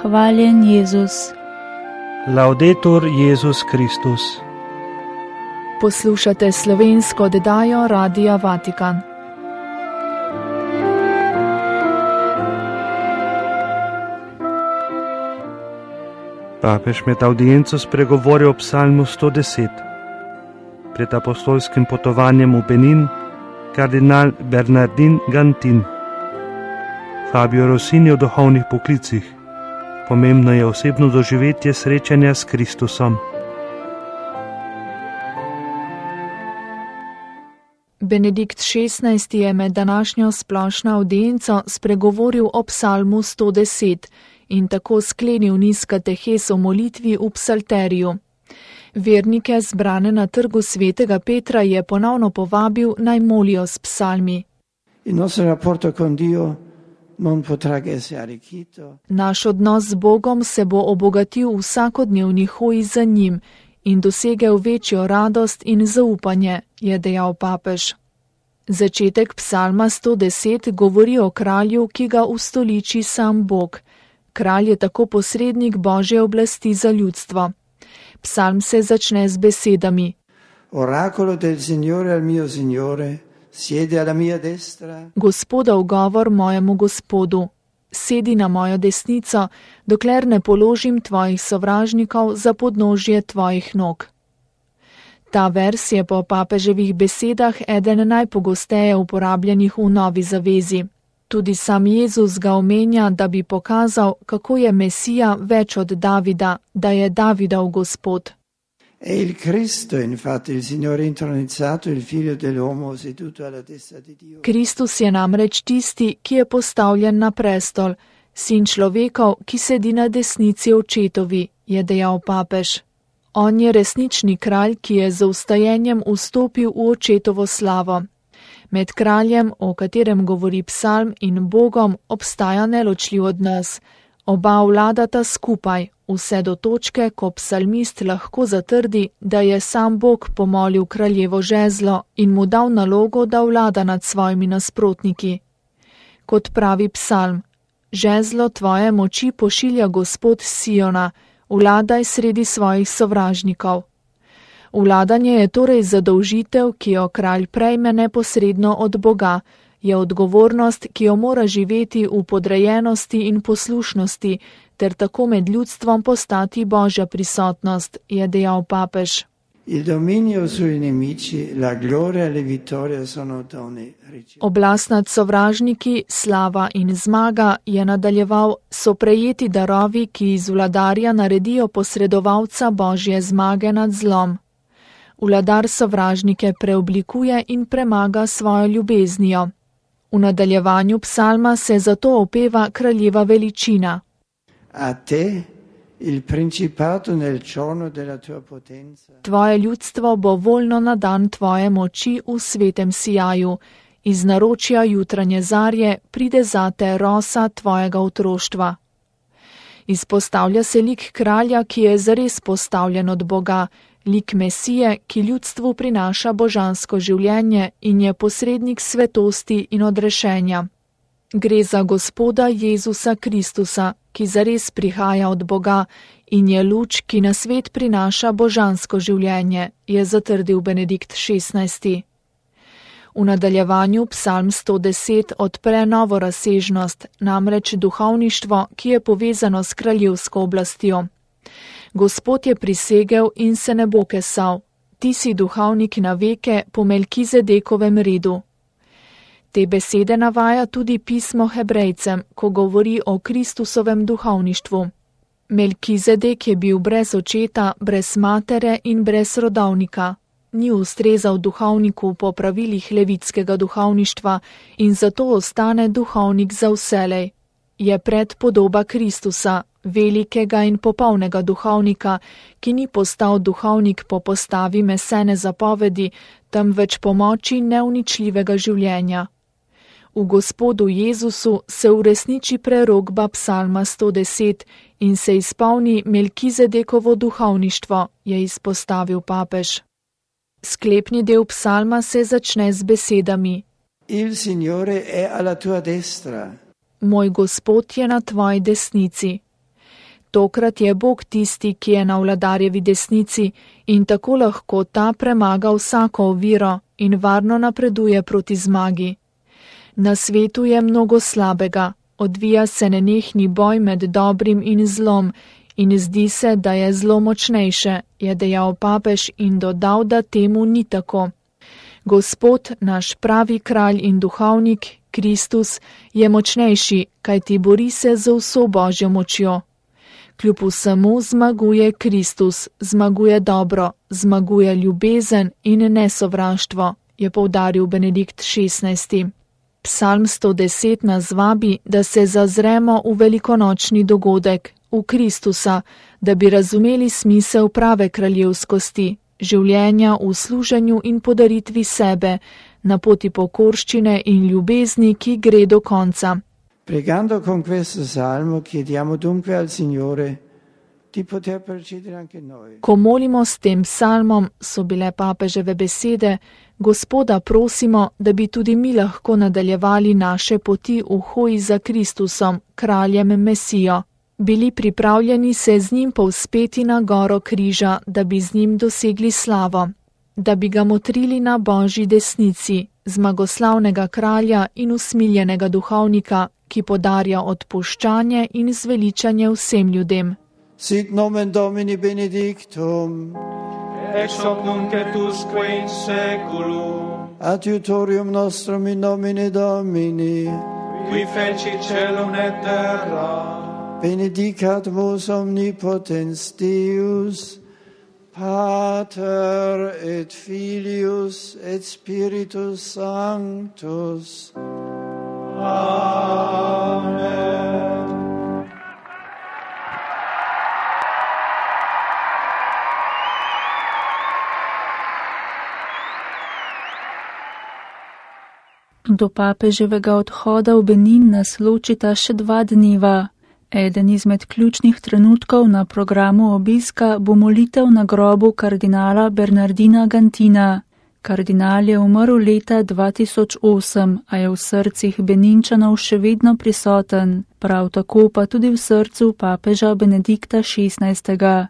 Hvaljen Jezus. Laudetur Jezus Kristus. Poslušate slovensko oddajo Radia Vatikan. Papež med audienco spregovoril o psalmu 110. Pred apostolskim potovanjem v Benin kardinal Bernardin Gantin. Fabio Rossini o duhovnih poklicih. Pomembno je osebno doživetje srečanja s Kristusom. Benedikt XVI. Je med današnjo splošno audienco spregovoril o psalmu 110 in tako sklenil niz katehes o molitvi v psalteriju. Vernike, zbrane na trgu svetega Petra, je ponovno povabil, naj molijo s psalmi. Naš odnos z Bogom se bo obogatil v vsakodnevni hoji za njim in dosegel večjo radost in zaupanje, je dejal papež. Začetek psalma 110 govori o kralju, ki ga ustoliči sam Bog. Kralj je tako posrednik Božje oblasti za ljudstvo. Psalm se začne z besedami: Oracolo del Signore al mio Signore, siedi alla mia destra. Gospodov govor mojemu Gospodu, sedi na mojo desnico, dokler ne položim tvojih sovražnikov za podnožje tvojih nog. Ta vers je po papeževih besedah eden najpogosteje uporabljenih v Novi zavezi. Tudi sam Jezus ga omenja, da bi pokazal, kako je Mesija več od Davida, da je Davidov Gospod. È il Cristo, infatti, il Signore intronizzato, il Figlio dell'uomo seduto alla destra di Dio. Kristus je namreč tisti, ki je postavljen na prestol, sin človekov, ki sedi na desnici očetovi, je dejal papež. On je resnični kralj, ki je z ustajenjem vstopil v očetovo slavo. Med kraljem, o katerem govori psalm, in Bogom obstaja neločljiv odnos. Oba vladata skupaj, vse do točke, ko psalmist lahko zatrdi, da je sam Bog pomolil kraljevo žezlo in mu dal nalogo, da vlada nad svojimi nasprotniki. Kot pravi psalm: žezlo tvoje moči pošilja Gospod s Siona, vladaj sredi svojih sovražnikov. Vladanje je torej zadolžitev, ki jo kralj prejme neposredno od Boga, je odgovornost, ki jo mora živeti v podrejenosti in poslušnosti, ter tako med ljudstvom postati Božja prisotnost, je dejal papež. Oblast nad sovražniki, slava in zmaga, je nadaljeval, so prejeti darovi, ki iz vladarja naredijo posredovalca Božje zmage nad zlom. Vladar sovražnike preoblikuje in premaga svojo ljubeznijo. V nadaljevanju psalma se zato opeva kraljeva veličina. A te, il principato nel giorno della tua potenza. Tvoje ljudstvo bo voljno na dan tvoje moči v svetem sijaju. Iz naročja jutranje zarje pride zate rosa tvojega otroštva. Izpostavlja se lik kralja, ki je zares postavljen od Boga, lik Mesije, ki ljudstvu prinaša božansko življenje in je posrednik svetosti in odrešenja. Gre za Gospoda Jezusa Kristusa, ki zares prihaja od Boga in je luč, ki na svet prinaša božansko življenje, je zatrdil Benedikt XVI. V nadaljevanju psalm 110 odpre novo razsežnost, namreč duhovništvo, ki je povezano s kraljevsko oblastjo. Gospod je prisegel in se ne bo kesal. Ti si duhovnik na veke po Melkizedekovem redu. Te besede navaja tudi pismo Hebrejcem, ko govori o Kristusovem duhovništvu. Melkizedek je bil brez očeta, brez matere in brez rodovnika. Ni ustrezal duhovniku po pravilih levitskega duhovništva in zato ostane duhovnik za vselej. Je predpodoba Kristusa, velikega in popolnega duhovnika, ki ni postal duhovnik po postavi mesene zapovedi, temveč po moči neuničljivega življenja. V Gospodu Jezusu se uresniči prerokba psalma 110 in se izpolni Melkizedekovo duhovništvo, je izpostavil papež. Sklepni del psalma se začne z besedami: Il Signore è alla tua destra. Moj Gospod je na tvoji desnici. Tokrat je Bog tisti, ki je na vladarjevi desnici in tako lahko ta premaga vsako oviro in varno napreduje proti zmagi. Na svetu je mnogo slabega, odvija se nenehni boj med dobrim in zlom in zdi se, da je zlo močnejše, je dejal papež in dodal, da temu ni tako. Gospod, naš pravi kralj in duhovnik, Kristus, je močnejši, kajti bori se z vso Božjo močjo. Kljub vsemu zmaguje Kristus, zmaguje dobro, zmaguje ljubezen in nesovraštvo, je poudaril Benedikt XVI. Psalm 110 nas vabi, da se zazremo v velikonočni dogodek, v Kristusa, da bi razumeli smisel prave kraljevskosti, življenja v služenju in podaritvi sebe, na poti pokorščine in ljubezni, ki gre do konca. Pregando con questo salmo chiediamo dunque al Signore di poter procedere anche noi. Ko molimo s tem psalmom, so bile papeževe besede, Gospoda prosimo, da bi tudi mi lahko nadaljevali naše poti v hoji za Kristusom, kraljem Mesijo. Bili pripravljeni se z njim povzpeti na goro križa, da bi z njim dosegli slavo, da bi ga motrili na Božji desnici, zmagoslavnega kralja in usmiljenega duhovnika, ki podarja odpuščanje in zveličanje vsem ljudem. Sit nomen Domini benedictum, ex hoc nunc et usque in saeculum, adiutorium nostrum in nomine Domini, qui feci celum et terra. Benedicat vos omnipotens Deus, Pater et Filius et Spiritus Sanctus. Amen. Do papeževega odhoda v Benin nas ločita še 2 dneva. Eden izmed ključnih trenutkov na programu obiska bo molitev na grobu kardinala Bernardina Gantina. Kardinal je umrl leta 2008, a je v srcih Beninčanov še vedno prisoten, prav tako pa tudi v srcu papeža Benedikta XVI.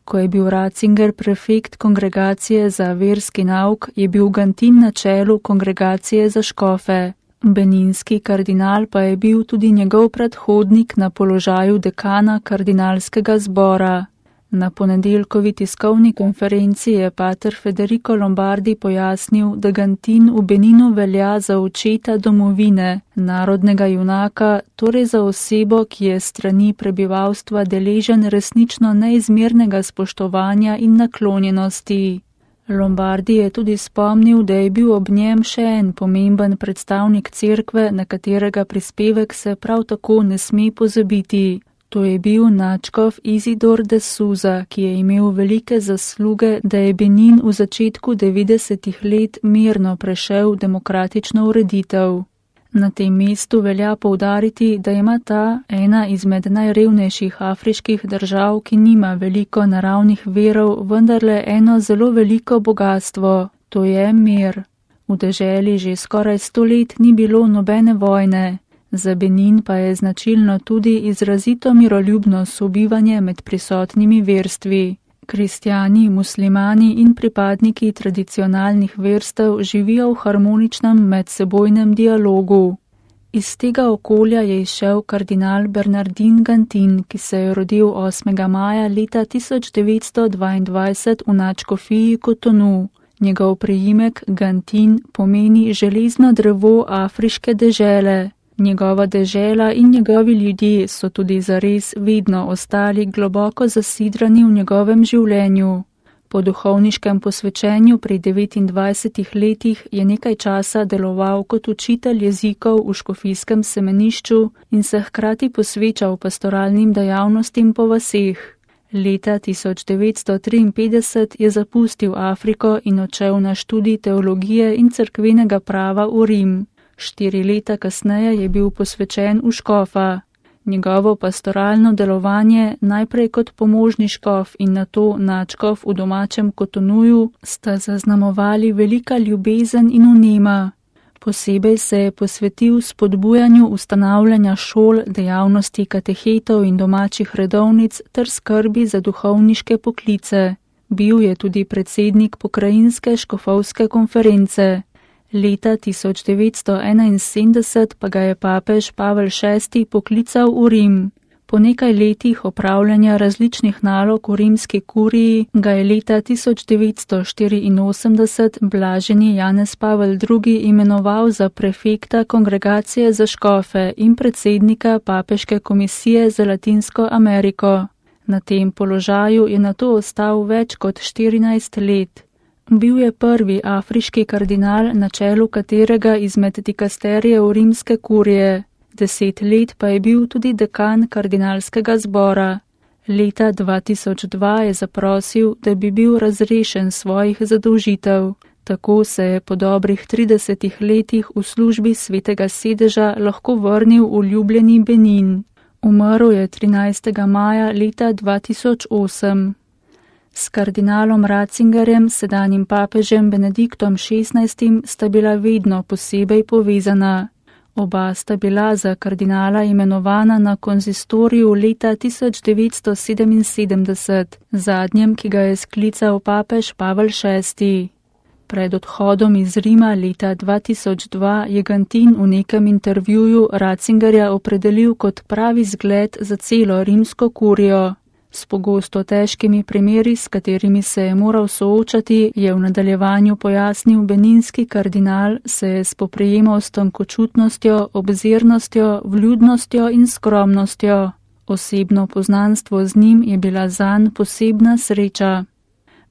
Ko je bil Ratzinger prefekt kongregacije za verski nauk, je bil Gantin na čelu kongregacije za škofe. Beninski kardinal pa je bil tudi njegov predhodnik na položaju dekana kardinalskega zbora. Na ponedeljkovi tiskovni konferenci je pater Federico Lombardi pojasnil, da Gantin v Beninu velja za očeta domovine, narodnega junaka, torej za osebo, ki je strani prebivalstva deležen resnično neizmernega spoštovanja in naklonjenosti. Lombardi je tudi spomnil, da je bil ob njem še en pomemben predstavnik cerkve, na katerega prispevek se prav tako ne sme pozabiti. To je bil nadškof Isidor de Souza, ki je imel velike zasluge, da je Benin v začetku 90-ih let mirno prešel demokratično ureditev. Na tem mestu velja poudariti, da ima ta ena izmed najrevnejših afriških držav, ki nima veliko naravnih virov, vendarle eno zelo veliko bogastvo, to je mir. V deželi že skoraj 100 let ni bilo nobene vojne. Za Benin pa je značilno tudi izrazito miroljubno sobivanje med prisotnimi verstvi. Kristjani, muslimani in pripadniki tradicionalnih verstev živijo v harmoničnem medsebojnem dialogu. Iz tega okolja je izšel kardinal Bernardin Gantin, ki se je rodil 8. maja leta 1922 v nadškofiji Kotonu. Njegov priimek Gantin pomeni železno drevo afriške dežele. Njegova dežela in njegovi ljudje so tudi zares vedno ostali globoko zasidrani v njegovem življenju. Po duhovniškem posvečenju pri 29 letih je nekaj časa deloval kot učitelj jezikov v škofijskem semenišču in se hkrati posvečal pastoralnim dejavnostim po vaseh. Leta 1953 je zapustil Afriko in odšel na študij teologije in cerkvenega prava v Rim. 4 leta kasneje je bil posvečen v škofa. Njegovo pastoralno delovanje, najprej kot pomožni škof in nato nadškof v domačem Kotonuju, sta zaznamovali velika ljubezen in vnema. Posebej se je posvetil spodbujanju ustanavljanja šol, dejavnosti katehetov in domačih redovnic ter skrbi za duhovniške poklice. Bil je tudi predsednik pokrajinske škofovske konference. Leta 1971 pa ga je papež Pavel VI poklical v Rim. Po nekaj letih opravljanja različnih nalog v rimski kuriji ga je leta 1984 blaženi Janez Pavel II imenoval za prefekta kongregacije za škofe in predsednika papeške komisije za Latinsko Ameriko. Na tem položaju je nato ostal več kot 14 let. Bil je prvi afriški kardinal, na čelu katerega izmed dikasterijev rimske kurije. 10 let pa je bil tudi dekan kardinalskega zbora. Leta 2002 je zaprosil, da bi bil razrešen svojih zadolžitev. Tako se je po dobrih 30 letih v službi svetega sedeža lahko vrnil v ljubljeni Benin. Umrl je 13. maja leta 2008. S kardinalom Ratzingerjem, sedanjim papežem Benediktom XVI, sta bila vedno posebej povezana. Oba sta bila za kardinala imenovana na konzistoriju leta 1977, zadnjem, ki ga je sklical papež Pavel VI. Pred odhodom iz Rima leta 2002 je Gantin v nekem intervjuju Ratzingerja opredelil kot pravi zgled za celo rimsko kurijo. S pogosto težkimi primeri, s katerimi se je moral soočati, je v nadaljevanju pojasnil beninski kardinal, se je spoprijemal s tankočutnostjo, obzirnostjo, vljudnostjo in skromnostjo. Osebno poznanstvo z njim je bila zanj posebna sreča.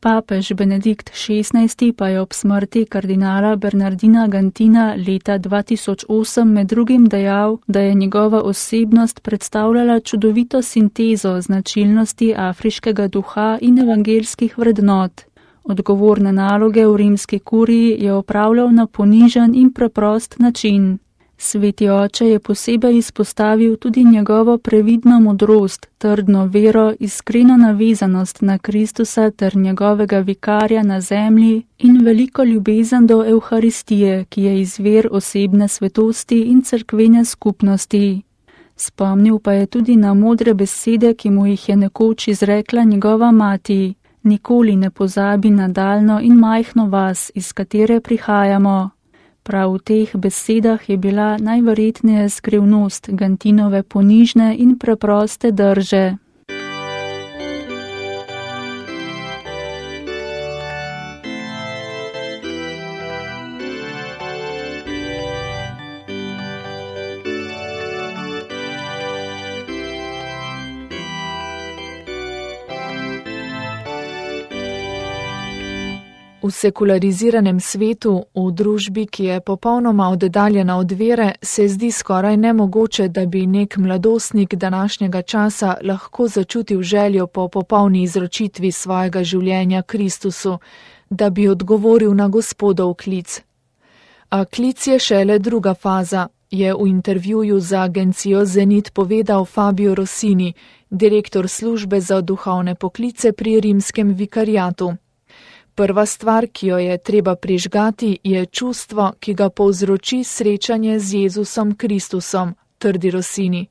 Papež Benedikt XVI pa je ob smrti kardinala Bernardina Gantina leta 2008 med drugim dejal, da je njegova osebnost predstavljala čudovito sintezo značilnosti afriškega duha in evangelskih vrednot. Odgovorne naloge v rimski kuriji je opravljal na ponižen in preprost način. Sveti oče je posebej izpostavil tudi njegovo previdno modrost, trdno vero, iskreno navezanost na Kristusa ter njegovega vikarja na zemlji in veliko ljubezen do Evharistije, ki je izvir osebne svetosti in cerkvene skupnosti. Spomnil pa je tudi na modre besede, ki mu jih je nekoč izrekla njegova mati. Nikoli ne pozabi na daljno in majhno vas, iz katere prihajamo. Prav v teh besedah je bila najverjetneje skrivnost Gantinove ponižne in preproste drže. V sekulariziranem svetu, v družbi, ki je popolnoma oddaljena od vere, se zdi skoraj nemogoče, da bi nek mladostnik današnjega časa lahko začutil željo po popolni izročitvi svojega življenja Kristusu, da bi odgovoril na Gospodov klic. A klic je šele druga faza, je v intervjuju za agencijo Zenit povedal Fabio Rossini, direktor službe za duhovne poklice pri rimskem vikariatu. Prva stvar, ki jo je treba prižgati, je čustvo, ki ga povzroči srečanje z Jezusom Kristusom, trdi Rossini.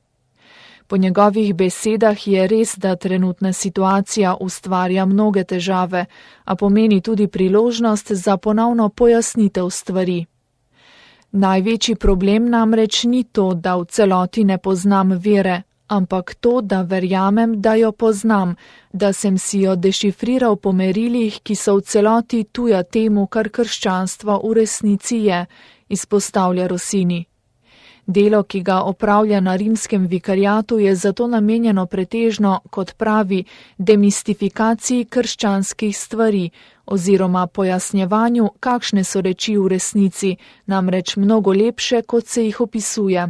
Po njegovih besedah je res, da trenutna situacija ustvarja mnoge težave, a pomeni tudi priložnost za ponovno pojasnitev stvari. Največji problem namreč ni to, da v celoti ne poznam vere, ampak to, da verjamem, da jo poznam, da sem si jo dešifriral po merilih, ki so v celoti tuja temu, kar krščanstvo v resnici je, izpostavlja Rossini. Delo, ki ga opravlja na rimskem vikariatu, je zato namenjeno pretežno, kot pravi, demistifikaciji krščanskih stvari oziroma pojasnjevanju, kakšne so reči v resnici, namreč mnogo lepše, kot se jih opisuje.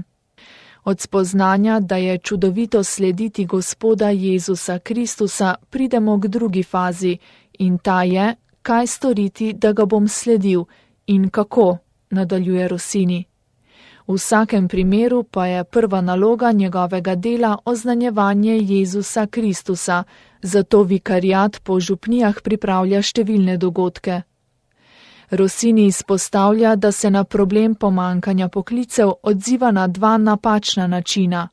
Od spoznanja, da je čudovito slediti Gospoda Jezusa Kristusa, pridemo k drugi fazi in ta je, kaj storiti, da ga bom sledil in kako, nadaljuje Rossini. V vsakem primeru pa je prva naloga njegovega dela oznanjevanje Jezusa Kristusa, zato vikariat po župnijah pripravlja številne dogodke. Rossini izpostavlja, da se na problem pomankanja poklicev odziva na dva napačna načina.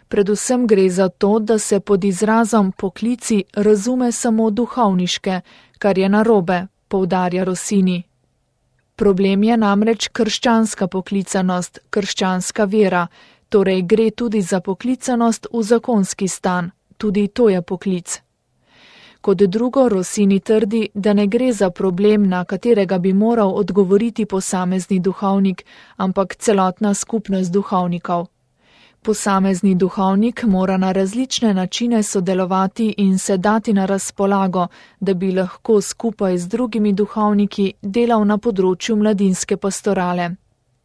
Predvsem gre za to, da se pod izrazom poklici razume samo duhovniške, kar je narobe, poudarja Rossini. Problem je namreč krščanska poklicanost, krščanska vera, torej gre tudi za poklicanost v zakonski stan, tudi to je poklic. Kot drugo, Rossini trdi, da ne gre za problem, na katerega bi moral odgovoriti posamezni duhovnik, ampak celotna skupnost duhovnikov. Posamezni duhovnik mora na različne načine sodelovati in se dati na razpolago, da bi lahko skupaj z drugimi duhovniki delal na področju mladinske pastorale.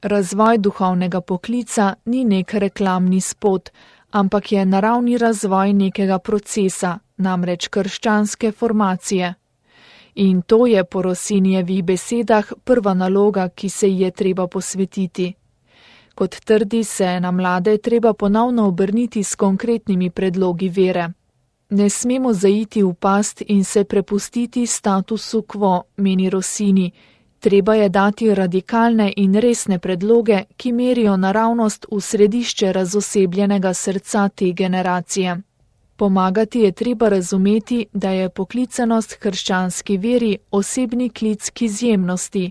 Razvoj duhovnega poklica ni nek reklamni spot, ampak je naravni razvoj nekega procesa, namreč krščanske formacije. In to je po Rossinijevih besedah prva naloga, ki se ji je treba posvetiti. Kot trdi, se na mlade treba ponovno obrniti s konkretnimi predlogi vere. Ne smemo zaiti v past in se prepustiti statusu quo, meni Rossini. Treba je dati radikalne in resne predloge, ki merijo naravnost v središče razosebljenega srca te generacije. Pomagati je treba razumeti, da je poklicanost krščanski veri osebni klic k izjemnosti.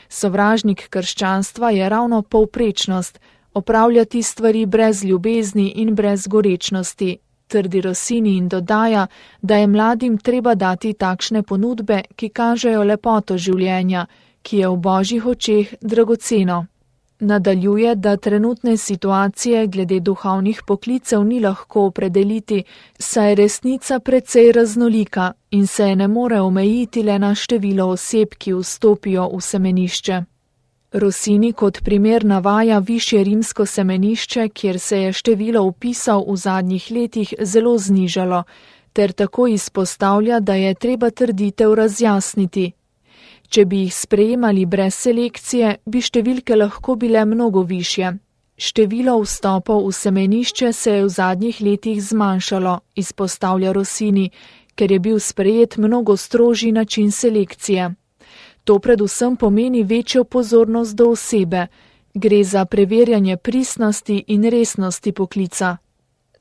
Sovražnik krščanstva je ravno povprečnost, opravljati stvari brez ljubezni in brez gorečnosti, trdi Rossini in dodaja, da je mladim treba dati takšne ponudbe, ki kažejo lepoto življenja, ki je v Božjih očeh dragoceno. Nadaljuje, da trenutne situacije glede duhovnih poklicev ni lahko opredeliti, saj je resnica precej raznolika in se ne more omejiti le na število oseb, ki vstopijo v semenišče. Rossini kot primer navaja višje rimsko semenišče, kjer se je število vpisov v zadnjih letih zelo znižalo, ter tako izpostavlja, da je treba trditev razjasniti. Če bi jih sprejemali brez selekcije, bi številke lahko bile mnogo višje. Število vstopov v semenišče se je v zadnjih letih zmanjšalo, izpostavlja Rossini, ker je bil sprejet mnogo strožji način selekcije. To predvsem pomeni večjo pozornost do osebe. Gre za preverjanje pristnosti in resnosti poklica.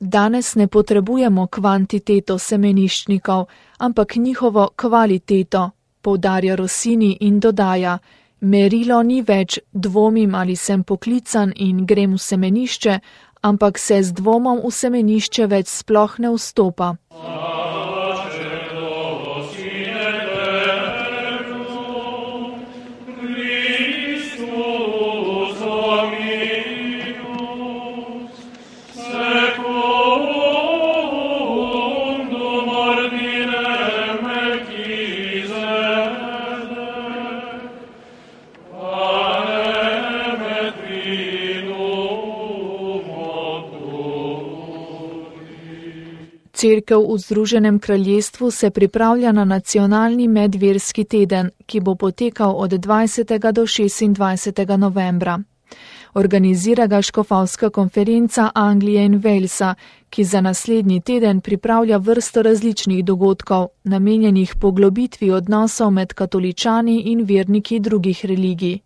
Danes ne potrebujemo kvantiteto semeniščnikov, ampak njihovo kvaliteto, poudarja Rossini in dodaja, merilo ni več dvomim ali sem poklican in grem v semenišče, ampak se z dvomom v semenišče več sploh ne vstopa. Cerkev v Združenem kraljestvu se pripravlja na nacionalni medverski teden, ki bo potekal od 20. do 26. novembra. Organizira ga škofovska konferenca Anglije in Walesa, ki za naslednji teden pripravlja vrsto različnih dogodkov, namenjenih poglobitvi odnosov med katoličani in verniki drugih religij.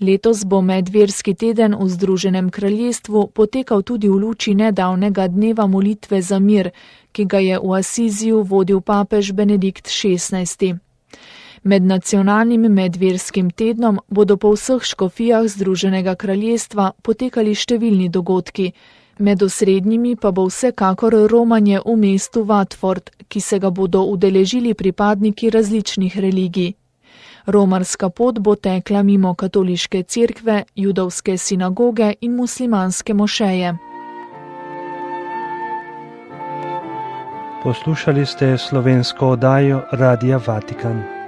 Letos bo medverski teden v Združenem kraljestvu potekal tudi v luči nedavnega dneva molitve za mir, ki ga je v Asiziju vodil papež Benedikt XVI. Med nacionalnim medverskim tednom bodo po vseh škofijah Združenega kraljestva potekali številni dogodki, med osrednjimi pa bo vsekakor romanje v mestu Watford, ki se ga bodo udeležili pripadniki različnih religij. Romarska pot bo tekla mimo katoliške cerkve, judovske sinagoge in muslimanske mošeje. Poslušali ste slovensko oddajo Radia Vatikan.